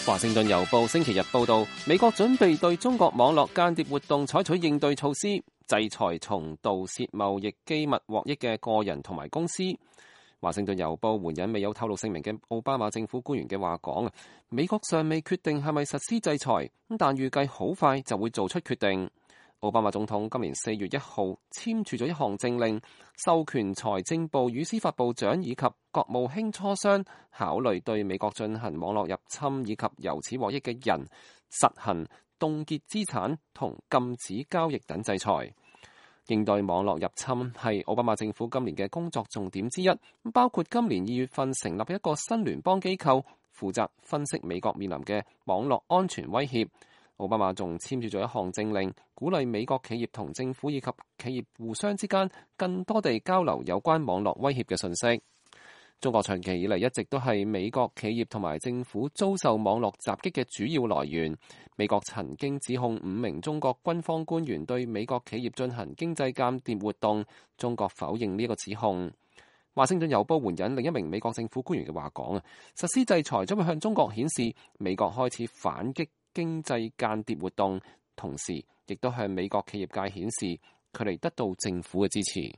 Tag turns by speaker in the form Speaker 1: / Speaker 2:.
Speaker 1: 華盛頓郵報星期日報道，美國準備對中國網絡間諜活動採取應對措施，制裁從盜竊貿易機密獲益嘅個人同埋公司。華盛頓郵報援引未有透露姓名嘅奧巴馬政府官員嘅話講，美國尚未決定係咪實施制裁，但預計好快就會做出決定。奧巴馬總統今年4月1號簽署咗一項政令，授權財政部與司法部長以及國務卿磋商，考慮對美國進行網絡入侵以及由此獲益嘅人實行凍結資產同禁止交易等制裁。應對網絡入侵係奧巴馬政府今年嘅工作重點之一，包括今年2月份成立一個新聯邦機構，負責分析美國面臨嘅網絡安全威脅。奧巴馬仲簽署咗一項政令，鼓勵美國企業同政府以及企業互相之間更多地交流有關網絡威脅嘅信息。中國長期以嚟一直都係美國企業同埋政府遭受網絡襲擊嘅主要來源。美國曾經指控5名中國軍方官員對美國企業進行經濟間諜活動，中國否認呢個指控。華盛頓郵報援引另一名美國政府官員嘅話講，實施制裁將會向中國顯示美國開始反擊經濟間諜活動，同時亦都向美國企業界顯示佢哋得到政府嘅支持。